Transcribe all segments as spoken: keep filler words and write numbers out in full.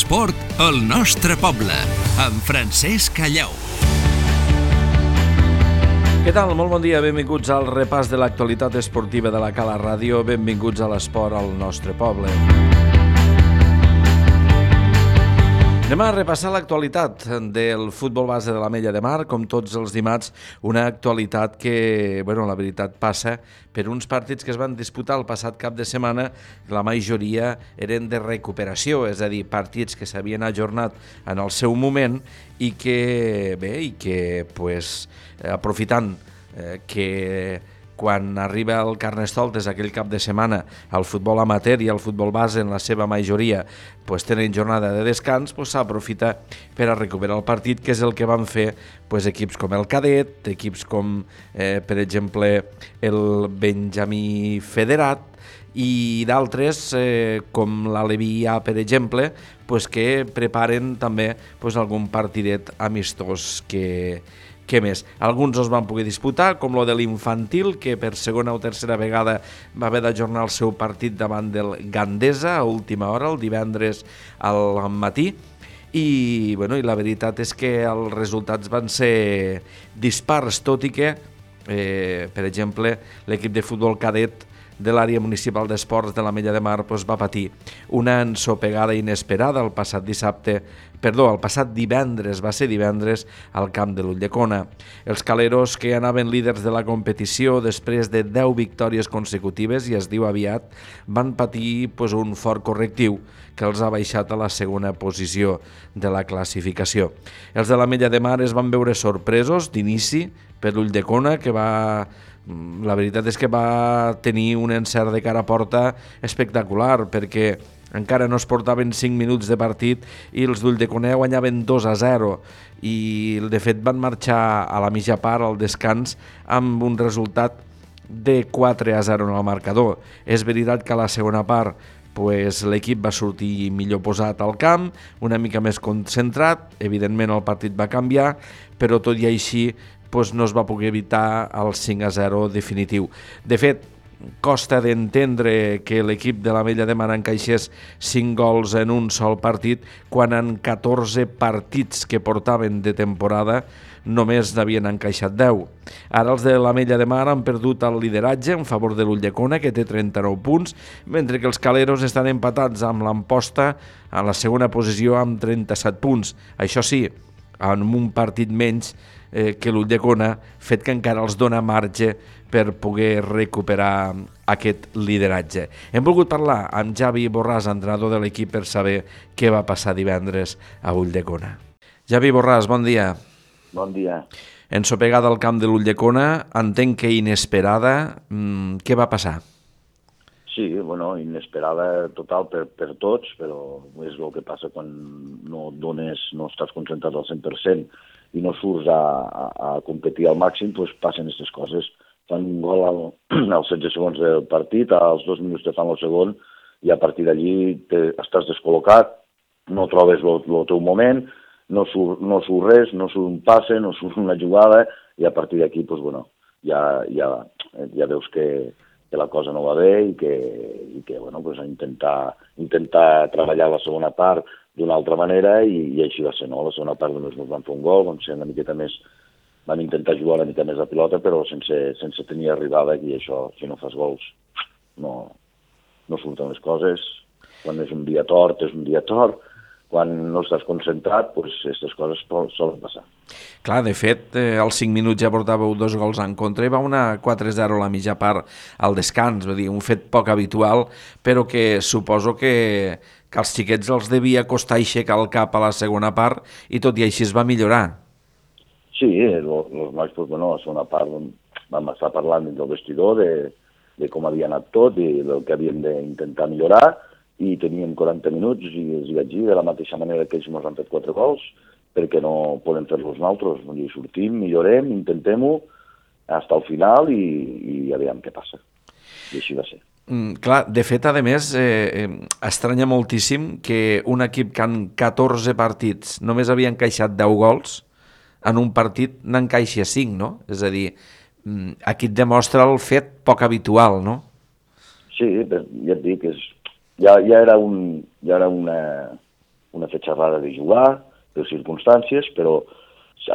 l'esport al nostre poble, amb Francesc Calleu. Què tal? Molt bon dia, benvinguts al repàs de l'actualitat esportiva de la Cala Ràdio, benvinguts a l'esport al nostre poble. Anem a repassar l'actualitat del futbol base de l'Ametlla de Mar, com tots els dimarts, una actualitat que, bueno, la veritat passa per uns partits que es van disputar el passat cap de setmana, la majoria eren de recuperació, és a dir, partits que s'havien ajornat en el seu moment i que, bé, i que, pues, aprofitant eh, que quan arriba el Carnestoltes aquell cap de setmana, el futbol amateur i el futbol base en la seva majoria pues, tenen jornada de descans, pues, s'aprofita per a recuperar el partit, que és el que van fer pues, equips com el Cadet, equips com, eh, per exemple, el Benjamí Federat, i d'altres, eh, com l'Aleví A, per exemple, pues, que preparen també pues, algun partidet amistós que... Què més? Alguns els van poder disputar, com lo de l'Infantil, que per segona o tercera vegada va haver d'ajornar el seu partit davant del Gandesa a última hora, el divendres al matí, i, bueno, i la veritat és que els resultats van ser dispars, tot i que, eh, per exemple, l'equip de futbol cadet de l'àrea municipal d'esports de l'Ametlla de Mar pues, va patir una ensopegada inesperada el passat dissabte, perdó, el passat divendres, va ser divendres, al camp de l'Ulldecona. Els caleros, que anaven líders de la competició després de deu victòries consecutives, i es diu aviat, van patir pues, un fort correctiu que els ha baixat a la segona posició de la classificació. Els de l'Ametlla de Mar es van veure sorpresos d'inici per l'Ulldecona, que va... La veritat és que va tenir un encert de cara a porta espectacular, perquè encara no es portaven cinc minuts de partit i els d'Ulldecona guanyaven dos a zero i de fet van marxar a la mitja part al descans amb un resultat de quatre a zero en el marcador. És veritat que a la segona part pues, l'equip va sortir millor posat al camp, una mica més concentrat, evidentment el partit va canviar, però tot i així pues, no es va poder evitar el cinc a zero definitiu. De fet, costa d'entendre que l'equip de l'Ametlla de Mar encaixés cinc gols en un sol partit quan en catorze partits que portaven de temporada només n'havien encaixat deu. Ara els de l'Ametlla de Mar han perdut el lideratge en favor de l'Ulldecona, que té trenta-nou punts, mentre que els caleros estan empatats amb l'Amposta a la segona posició amb trenta-set punts. Això sí, en un partit menys eh, que l'Ulldecona, fet que encara els dona marge per poder recuperar aquest lideratge. Hem volgut parlar amb Javi Borràs, entrenador de l'equip, per saber què va passar divendres a Ulldecona. Javi Borràs, bon dia. Bon dia. Ensopegada al camp de l'Ulldecona, entenc que inesperada. Mm, què va passar? Sí, bueno, inesperada total per, per tots, però és el que passa quan no dones, no estàs concentrat al cent per cent i no surts a, a, a competir al màxim, doncs passen aquestes coses. Fan un gol al, als setze segons del partit, als dos minuts te fan el segon, i a partir d'allí estàs descol·locat, no trobes el teu moment, no surt, no surt res, no surt un passe, no surt una jugada, i a partir d'aquí, doncs, bueno, ja, ja, ja veus que, que la cosa no va bé i que, i que bueno, pues, intentar, intentar treballar la segona part d'una altra manera, i, i així va ser, no? La segona part només ens van fer un gol, van ser una miqueta més, van intentar jugar una mica més la pilota, però sense, sense tenir arribada, i això, si no fas gols, no, no surten les coses. Quan és un dia tort, és un dia tort. Quan no estàs concentrat, doncs aquestes coses solen passar. Clar, de fet, eh, als cinc minuts ja portàveu dos gols en contra i va una quatre a zero a la mitja part al descans, vull dir, un fet poc habitual, però que suposo que, que als xiquets els devia costar aixecar el cap a la segona part i tot i així es va millorar. Sí, els nois, doncs, bueno, a la segona part vam estar parlant del vestidor, de, de com havia anat tot i del que havíem d'intentar millorar, i teníem quaranta minuts i els vaig dir de la mateixa manera que ells ens han fet quatre gols, perquè no podem fer-los nosaltres. Vull dir, sortim, millorem, intentem-ho fins al final i, i ja veiem què passa. I així va ser. Mm, clar, de fet, a més, eh, eh, estranya moltíssim que un equip que en catorze partits només havia encaixat deu gols, en un partit n'encaixi a cinc, no? És a dir, aquí et demostra el fet poc habitual, no? Sí, ja et dic, és, ja, ja era, un, ja era una, una fetge rara de jugar, per circumstàncies, però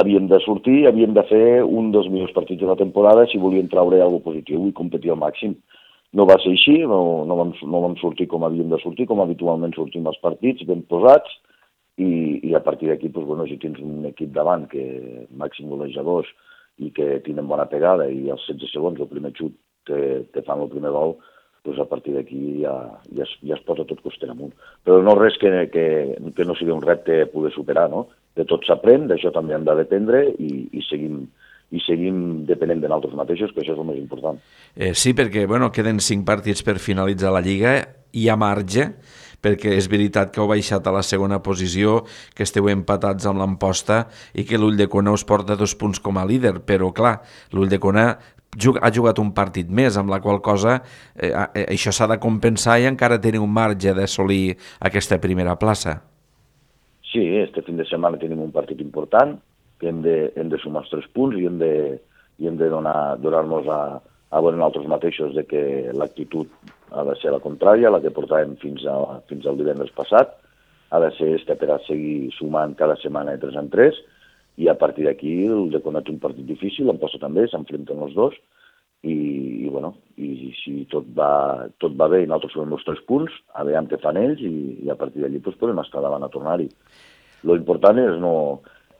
havíem de sortir, havíem de fer un dels millors partits de la temporada si volíem traure alguna cosa positiu i competir al màxim. No va ser així, no, no, vam, no vam sortir com havíem de sortir, com habitualment sortim als partits, ben posats, i, i a partir d'aquí, doncs, bueno, si tens un equip davant que màxim golejadors i que tenen bona pegada i als setze segons el primer xut te, te fan el primer gol, doncs a partir d'aquí ja, ja, es, ja es posa tot coster amunt. Però no res que, que, que no sigui un repte poder superar, no? De tot s'aprèn, d'això també hem de dependre i, i seguim i seguim depenent de nosaltres mateixos, que això és el més important. Eh, sí, perquè bueno, queden cinc partits per finalitzar la Lliga, hi ha marge, perquè és veritat que heu baixat a la segona posició, que esteu empatats amb l'Amposta i que l'Ulldecona us porta dos punts com a líder, però clar, l'Ulldecona ha jugat un partit més, amb la qual cosa eh, això s'ha de compensar i encara teniu un marge d'assolir aquesta primera plaça. Sí, este fin de setmana tenim un partit important, que hem de, hem de sumar els tres punts i hem de, i hem de donar, donar-nos a, a veure nosaltres mateixos de que l'actitud ha de ser la contrària, la que portàvem fins, a, fins al divendres passat, ha de ser esta per a seguir sumant cada setmana de tres en tres, i a partir d'aquí el de conèixer un partit difícil, l'Amposta també, s'enfrenten els dos, i, i, bueno, i si tot va, tot va bé i nosaltres sumem els tres punts, a veure què fan ells, i, i a partir d'allí doncs, podem estar davant a tornar-hi. Lo important és no...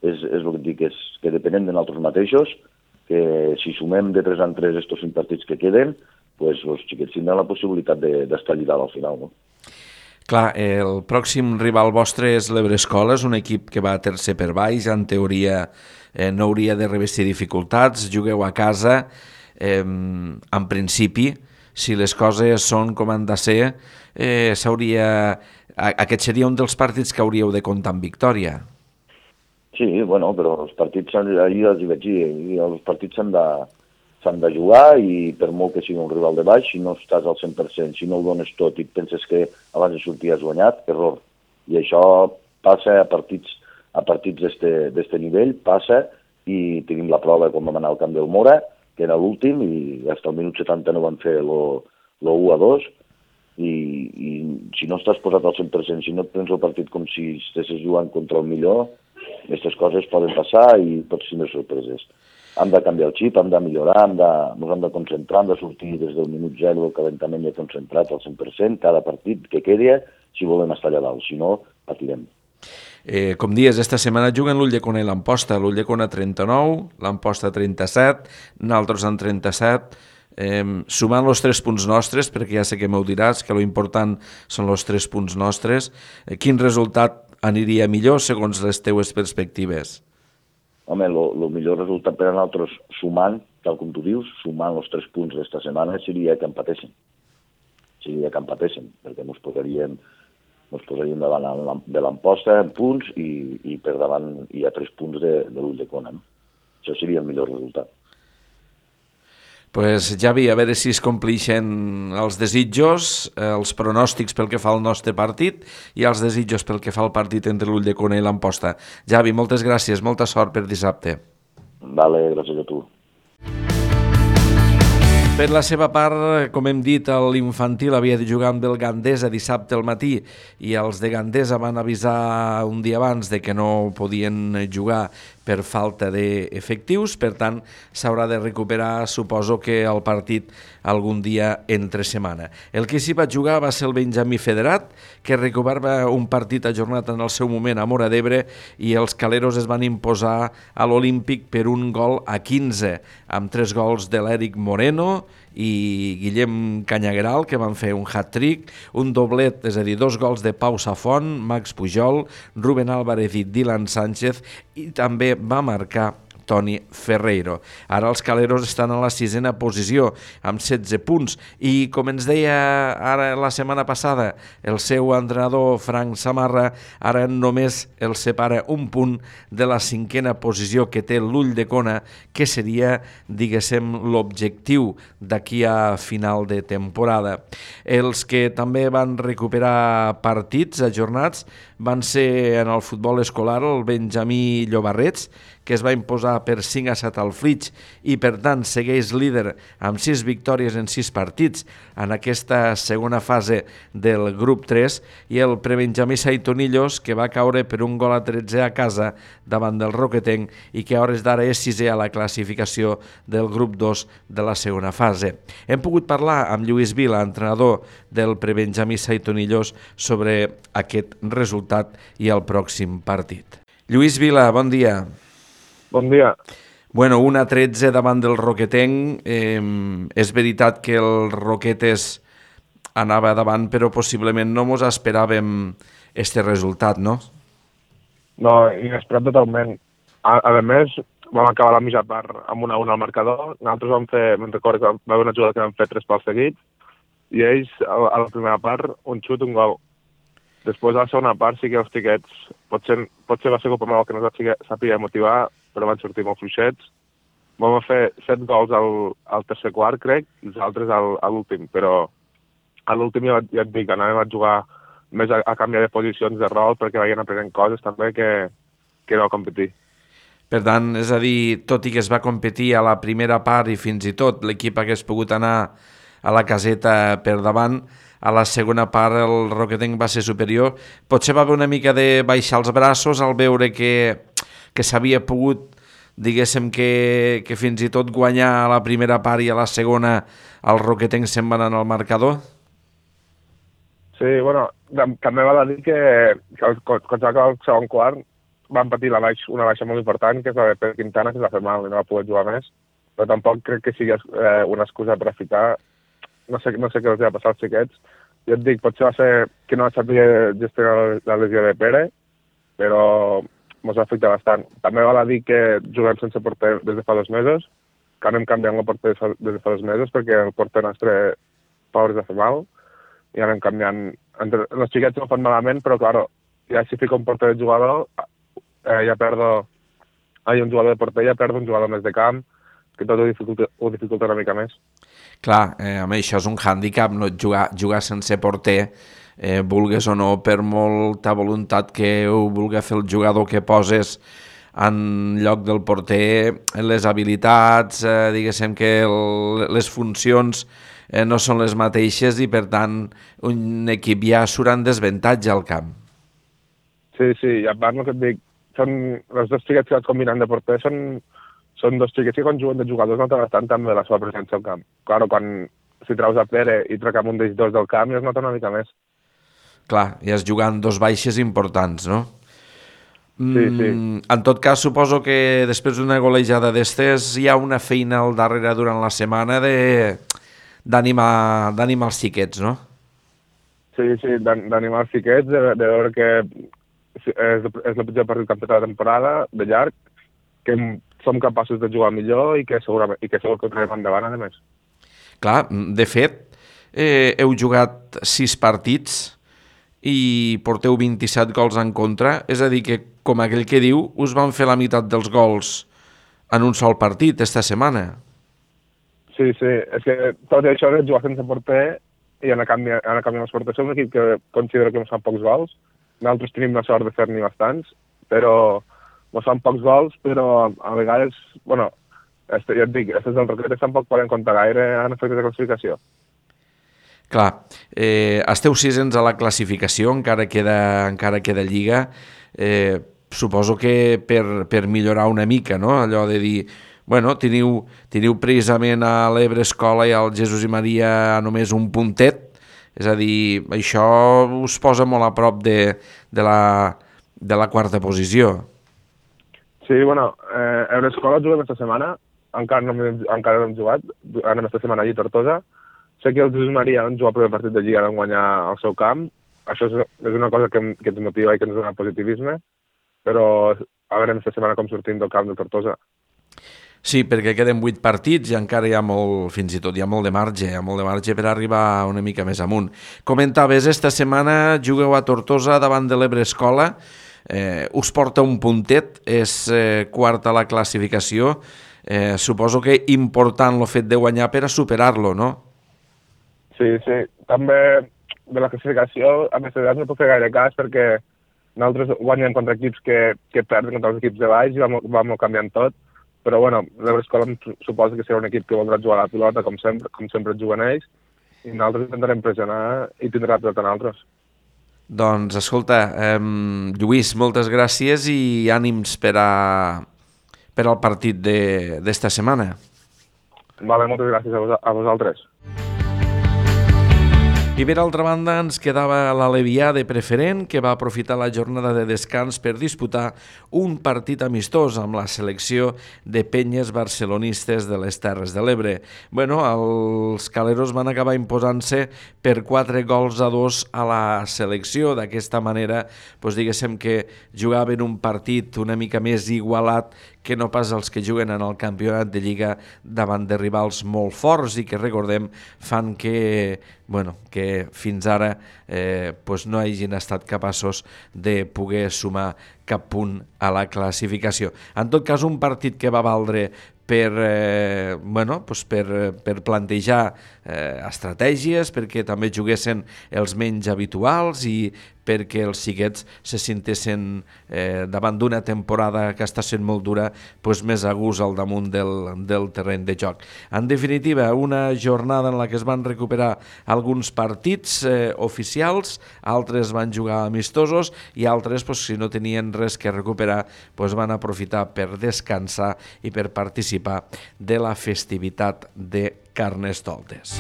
és, és el que dic, és que depenem de nosaltres mateixos, que si sumem de tres en tres estos cinc partits que queden, pues, els xiquets tindran la possibilitat d'estar de, allà al final, no? Clar, el pròxim rival vostre és l'Ebrescola, és un equip que va a tercer per baix, en teoria eh, no hauria de revestir dificultats, jugueu a casa, eh, en principi, si les coses són com han de ser, eh, s'hauria... aquest seria un dels partits que hauríeu de comptar amb victòria. Sí, bueno, però els partits, ahir els hi vaig dir, els partits s'han de, s'han de jugar i per molt que sigui un rival de baix, si no estàs al cent per cent, si no ho dones tot i penses que abans de sortir has guanyat, error. I això passa a partits a partits d'este nivell, passa, i tenim la prova com vam anar al camp del Mora, que era l'últim, i fins al minut setanta no van fer lo u a dos, i, i si no estàs posat al cent per cent, si no et prens el partit com si estessis jugant contra el millor, aquestes coses poden passar i pots tenir sorpreses. Hem de canviar el xip, hem de millorar, hem de, ens hem de concentrar, hem de sortir des del minut zero del calentament i concentrat al cent per cent, cada partit que quedi, si volem estar allà dalt, si no, patirem. Eh, com dies, esta setmana juguen l'Ulldecona i l'Amposta, l'Ulldecona trenta-nou, l'Amposta trenta-set, nosaltres en trenta-set, eh, sumant els tres punts nostres, perquè ja sé que m'ho diràs, que l'important són els tres punts nostres, eh, quin resultat aniria millor segons les teues perspectives? Home, el millor resultat per a nosaltres sumant, tal com tu dius, sumant els tres punts d'esta setmana seria que empatéssim. Seria que empatéssim, perquè ens posaríem, ens posaríem davant de l'Amposta en punts i, i per davant hi ha tres punts de, de l'Ulldecona. No? Això seria el millor resultat. Pues, Javi, a veure si es complixen els desitjos, els pronòstics pel que fa al nostre partit i els desitjos pel que fa al partit entre l'Ulldecona i l'Amposta. Javi, moltes gràcies, molta sort per dissabte. Vale, gràcies a tu. Per la seva part, com hem dit, l'infantil havia de jugar amb el Gandesa dissabte al matí i els de Gandesa van avisar un dia abans de que no podien jugar per falta d'efectius, per tant, s'haurà de recuperar, suposo que el partit algun dia entre setmana. El que s'hi va jugar va ser el Benjamí Federat, que recuperava un partit ajornat en el seu moment a Móra d'Ebre i els caleros es van imposar a l'Olímpic per un gol a quinze, amb tres gols de l'Eric Moreno i Guillem Canyagueral, que van fer un hat-trick, un doblet, és a dir, dos gols de Pau Safont, Max Pujol, Rubén Álvarez i Dylan Sánchez, i també va marcar Toni Ferreiro. Ara els caleros estan a la sisena posició, amb setze punts, i com ens deia ara la setmana passada el seu entrenador Frank Samarra, ara només el separa un punt de la cinquena posició que té l'Ulldecona, que seria, diguéssim, l'objectiu d'aquí a final de temporada. Els que també van recuperar partits ajornats van ser en el futbol escolar el Benjamí Llobarrets, que es va imposar per cinc a set al Flix i per tant segueix líder amb sis victòries en sis partits en aquesta segona fase del grup tres, i el prebenjamí Saitonillos, que va caure per un gol a tretze a casa davant del Roquetenc i que a hores d'ara és sisè a la classificació del grup dos de la segona fase. Hem pogut parlar amb Lluís Vila, entrenador del prebenjamí Saitonillos, sobre aquest resultat i el pròxim partit. Lluís Vila, bon dia. Bon dia. Bueno, un a tretze davant del Roquetenc. Eh, és veritat que el Roquetes anava davant, però possiblement no mos esperàvem este resultat, no? No, inesperat totalment. A, a més, vam acabar la mitja part amb una a una al marcador. Nosaltres vam fer, me'n recordo que va haver una jugada que vam fer tres pals seguits, i ells, a la primera part, un xut, un gol. Després, a la segona part, sí que els tiquets, potser, potser va ser culpa meva que no es sàpiga motivar, però van sortir molt fluixets. Vam fer set gols al, al tercer quart, crec, i els altres al, a l'últim, però a l'últim ja, ja et dic, anàvem a jugar més a, a canviar de posicions de rol perquè veien aprenent coses també que, que no a competir. Per tant, és a dir, tot i que es va competir a la primera part i fins i tot l'equip hagués pogut anar a la caseta per davant, a la segona part el Roquetenc va ser superior. Potser va haver una mica de baixar els braços al veure que, que s'havia pogut, diguéssim, que, que fins i tot guanyar a la primera part i a la segona el Roquetenc se'n va anar al marcador? Sí, bueno, també val a dir que, que quan s'ha acabat el segon quart van patir la baix, una baixa molt important, que és la de Pere Quintana, que es va fer mal i no va poder jugar més, però tampoc crec que sigui eh, una excusa per a ficar. No sé, no sé què els va passar als xiquets. Jo et dic, potser va ser que no sabia gestionar la lesió de Pere, però ens va afectar bastant. També val a dir que juguem sense porter des de fa dos mesos, que anem canviant el porter des de fa dos mesos, perquè el porter nostre pobre es va fer mal, i anem canviant. Entre, els xiquets no fan malament, però, clar, ja si fico un porter de jugador, eh, ja perdo... Ai, un jugador de porter, ja perdo un jugador més de camp, que tot ho dificulta, ho dificulta una mica més. Clar, eh, a això és un hàndicap, no? jugar, jugar sense porter, eh, vulgues o no, per molta voluntat que ho vulgui fer el jugador que poses en lloc del porter, les habilitats, eh, diguéssim que el, les funcions eh, no són les mateixes i per tant un equip ja surt en desavantatge al camp. Sí, sí, i a part el que et dic, són, els dos xiquets que vaig combinant de porter són són dos xiquets que quan juguen de jugadors noten bastant també la seva presència al camp. Claro, quan si treus a Pere i trec amb un d'ells dos del camp ja es nota una mica més. Clar, ja es jugant dos baixes importants, no? Sí, sí. Mm, en tot cas, suposo que després d'una golejada d'estes hi ha una feina al darrere durant la setmana de d'animar d'animar els xiquets, no? Sí, sí, d'animar els xiquets, de, de veure que és, és el pitjor partit que hem fet a la temporada, de llarg, que som capaços de jugar millor i que segurament i que segur que ho traiem endavant, a més. Clar, de fet, eh, heu jugat sis partits i porteu vint-i-set gols en contra, és a dir que, com aquell que diu, us van fer la meitat dels gols en un sol partit esta setmana. Sí, sí, és que tot això de jugar sense porter i anar canviant, anar canviant els porters, som un equip que considero que ens fan pocs gols, nosaltres tenim la sort de fer-n'hi bastants, però ens fan pocs gols, però a vegades, bueno, este, ja et dic, aquests del Roquetes tampoc poden comptar gaire en efectes de classificació. Clar, eh, esteu sisens a la classificació, encara queda, encara queda lliga, eh, suposo que per, per millorar una mica, no? Allò de dir, bueno, teniu, teniu precisament a l'Ebre Escola i al Jesús i Maria només un puntet, és a dir, això us posa molt a prop de, de, la, de la quarta posició. Sí, bueno, eh, Ebre Escola juguem aquesta setmana, encara no, encara no hem jugat, anem aquesta setmana allí a Tortosa. Sé que el Jesús Maria han jugat el primer partit de Lliga, van guanyar al seu camp. Això és, és una cosa que, que ens motiva i que ens dona positivisme, però a veure aquesta setmana com sortim del camp de Tortosa. Sí, perquè queden vuit partits i encara hi ha molt, fins i tot hi ha molt de marge, hi ha molt de marge per arribar una mica més amunt. Comentaves, esta setmana jugueu a Tortosa davant de l'Ebre Escola, eh, us porta un puntet, és eh, quart a la classificació, eh, suposo que important el fet de guanyar per a superar-lo, no? Sí, sí, també de la classificació a més d'edat no puc fer gaire cas perquè nosaltres guanyem contra equips que, que perden contra els equips de baix i vam, vam canviant tot, però bueno, l'Euroscola suposa que serà un equip que voldrà jugar a la pilota com sempre, com sempre juguen ells, i nosaltres intentarem pressionar i tindrà la pilota nosaltres. Doncs, escolta, eh, Lluís, moltes gràcies i ànims per, a, per al partit d'esta setmana. Vale, moltes gràcies a, vos, a vosaltres. I per altra banda ens quedava l'Alevià de Preferent, que va aprofitar la jornada de descans per disputar un partit amistós amb la selecció de penyes barcelonistes de les Terres de l'Ebre. Bueno, els caleros van acabar imposant-se per quatre gols a dos a la selecció. D'aquesta manera, doncs diguéssim que jugaven un partit una mica més igualat que no pas els que juguen en el campionat de Lliga davant de rivals molt forts i que, recordem, fan que, bueno, que fins ara eh, pues no hagin estat capaços de poder sumar cap punt a la classificació. En tot cas, un partit que va valdre per, eh, bueno, pues per, per plantejar eh, estratègies, perquè també juguessin els menys habituals i perquè els xiquets se sintessin eh, davant d'una temporada que està sent molt dura, pues més a gust al damunt del, del terreny de joc. En definitiva, una jornada en la que es van recuperar alguns partits eh, oficials, altres van jugar amistosos i altres, pues, si no tenien res que recuperar, pues, van aprofitar per descansar i per participar de la festivitat de Carnestoltes.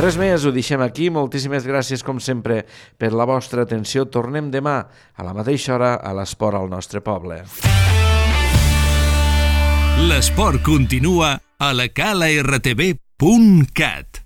Res més, ho deixem aquí. Moltíssimes gràcies, com sempre, per la vostra atenció. Tornem demà a la mateixa hora a l'Esport al nostre poble. L'esport continua a la cala r t v punt cat.